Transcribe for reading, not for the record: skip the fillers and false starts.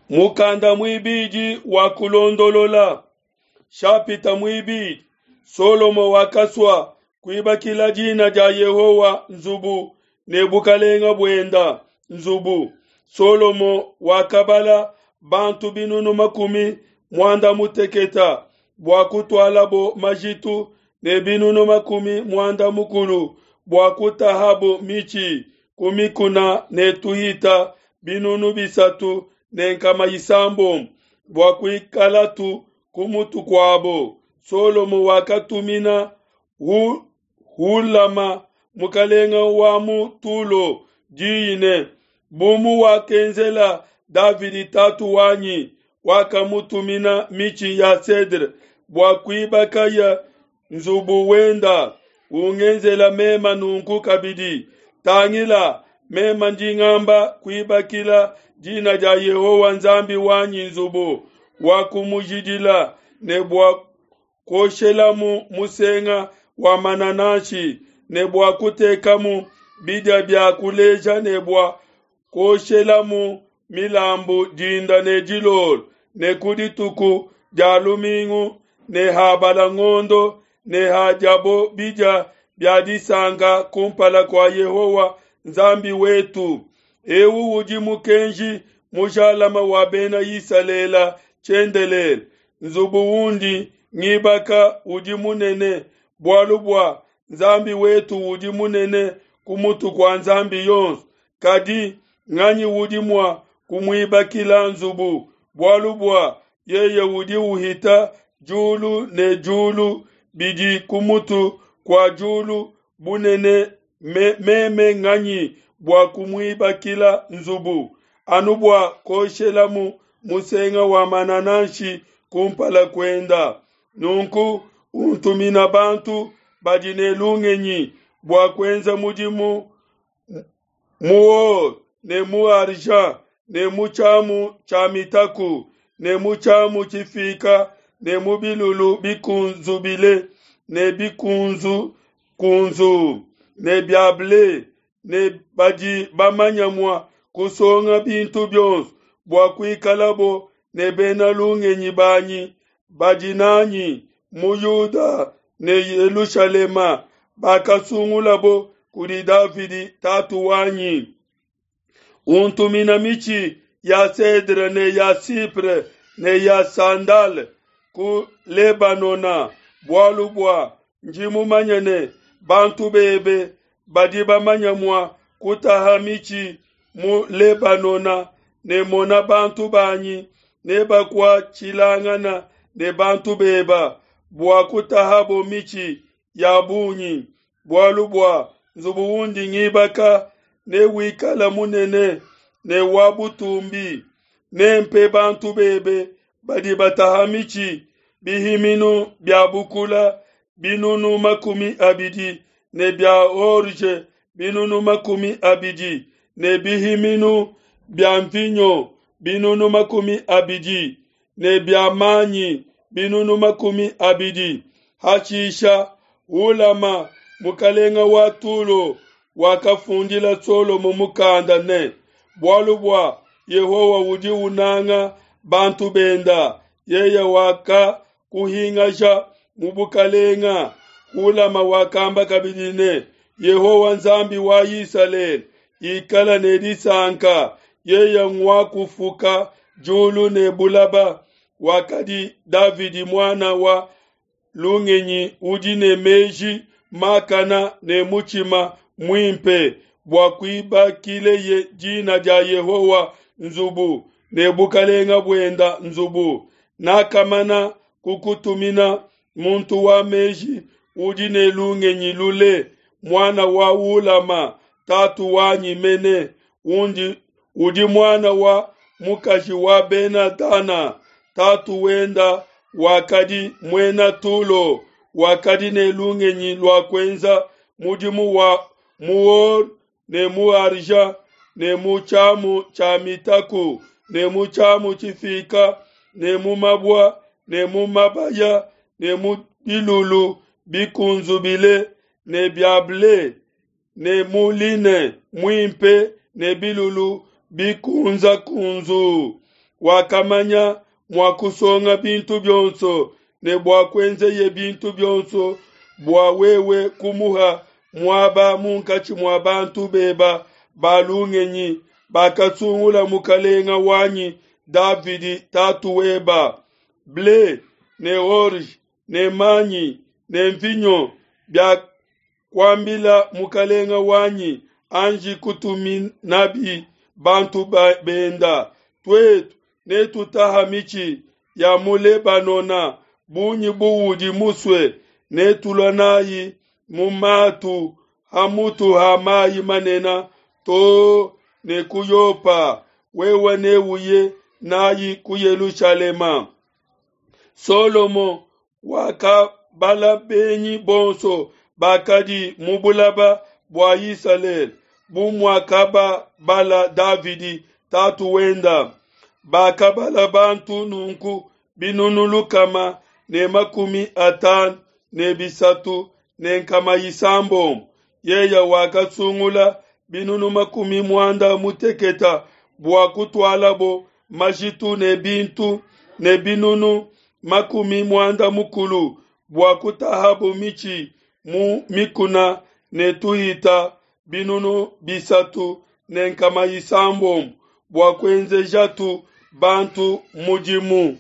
Mukanda muibidi wa Kulondolola, shapita muibidi. Solomo wakasua kuibakila dina dia Yehowa nzubu ne bukalenga buenda nzubu. Solomo wakabala bantu binunu makumi muanda muteketa bua kutualabo majitu ne binunu makumi muanda mukulu bua kutahabo mitshi ku mikuna ne tuhita binunu 300 bua kuikalatu ku mutu kuabo. Solomo wakatumina Hulama mukalenga wa mu Tulo diyi ne, bu muwakenzela Davidi tatu wanyi, wakamutumina mitshi ya cedre bua kuibakaye nzubu wenda, ungenzela mema nunku kabidi. Tangila, mema ndi ngamba kuibakila dina dia Yehowa Nzambi wanyi nzubu wa kumujidila ne bua kuoshelamu musenga wa manananshi ne bua kutekamu bidia bia kuleja ne bua kuoshelamu milambu dinda ne dilolo ne ku dituku dia lumingu ne habala ngondo ne hadiabo bidia bia disanka kumpala kua Yehowa Nzambi wetu. Eu udi mukenji mujalama wa bena Isalele tshiendelele. Nzubu undi ngibaka udi munene, bualu bua Nzambi wetu udi munene ku mutu kua nzambi yonso. Kadi nganyi udi mua kumuibakila nzubu, bualu bua yeye udi uhita diulu ne diulu bidi ku mutu kua diulu bunene? Meme nganyi bua kumuibakila nzubu, anu bua kuoshelamu musenga wa manananshi kumpala kuenda? Nunku untumina bantu badi ne lungenyi bua kuenza mudimu mu or ne mu argent ne mu tshiamu tshia mitaku ne mu tshiamu tshifika ne mu bilulu bikunzubile ne bikunzukunzu ne bia ble ne badi bamanya mua kusonga bintu bionso bua kuikalabo ne bena lungenyi banyi badi nanyi mu Yuda ne Yelushalema bakasungulabo kudi Davidi tatu wanyi. Untumina mitshi ya cedre ne ya cypre ne ya sandale ku Lebanona, bualu bua ndi mumanye ne bantu bebe badi bamanya mua kutaha mitshi mu Lebanona, ne mona bantu banyi nebakuatshilangana ne bantu beba bua kutahabo mitshi ya bungi, bualu bua nzubu undi ngibaka newikala munene ne wa butumbi. Nempe bantu bebe badi bataha mitshi bihiminu bia bukula binunu 20 ne bia orge binunu 20 ne bihiminu bia mvinyo binunu 20 ne bia manyi binunu 20. Hashisha Hulama mukalenga wa Tulo wakafundila Solomo mukanda ne, bualu bua Yehowa udi unanga bantu benda, yeye wakakuhingaja mu bukalenga. Hulama wakamba kabidi ne, Yehowa Nzambi wa Isalele ikala ne disanka, yeye ngwakufuka diulu ne bulaba, wakadi Davidi muana wa lungenyi udi ne meji makana ne mutshima muimpe bua kuibakileye dina dia Yehowa nzubu ne bukalenga buenda nzubu. Nakamana kukutumina muntu wa meji udi ne lungenyi lule, muana wa Hulama tatu wanyi mene, udi muana wa mukaji wa Bena Dana, tatu wenda wakadi muena Tulo, wakadi ne lungenyi lua kuenza mudimu wa mu or ne mu argent ne mu tshiamu tshia mitaku ne mu tshiamu tshifika ne mu mabua ne mu mabaya ne mu bilulu bikunzubile ne bia ble ne mu line muimpe ne bilulu bikunzakunzu. Wakamanya mua kusonga bintu bionso ne bua kuenzeye bintu bionso bua wewe kumuha muaba munkatshi mua bantu beba ba lungenyi bakasungula mukalenga wanyi Davidi tatu weba. Ble ne orge ne manyi ne mvinyo biakuambila mukalenga wanyi anji kutuminabi bantu benda. Tuetu netutaha mitshi ya mu Lebanona bungi buudi musue, netulua nayi mu matu ha mutu ha mayi manene too ne ku Yopa, wewe neuye nayi ku Yelushalema. Solomo wakabala benyi bonso bakadi mu bulaba bua Isalele, bu muakababala Davidi tatu wenda. Bakabala bantu nunku binunu 553. Yeye wakasungula binunu 60 bua kutualabo majitu ne bintu, ne binunu 60 bua kutahabo mitshi mu mikuna, ne tuhita binunu 3 600 bua kuenzejatu bantu mudimu.